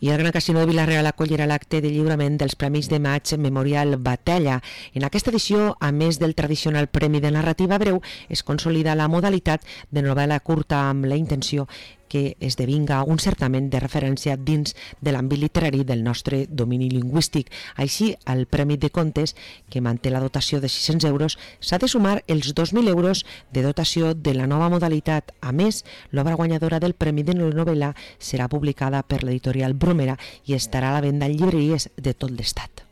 I el Gran Casino de Vila-real acollirà l'acte de lliurament dels Premis de Maig Memorial Batalla. En aquesta edició, a més del tradicional Premi de Narrativa Breu, es consolida la modalitat de novel·la curta amb la intenció que esdevinga un certamen de referència dins de l'àmbit literari del nostre domini lingüístic. Així, al Premi de Contes, que manté la dotació de 600 euros, s'ha de sumar els 2.000 euros de dotació de la nova modalitat. A més, l'obra guanyadora del Premi de Novel·la serà publicada per l'editorial Bromera i estarà a la venda en llibreries de tot l'Estat.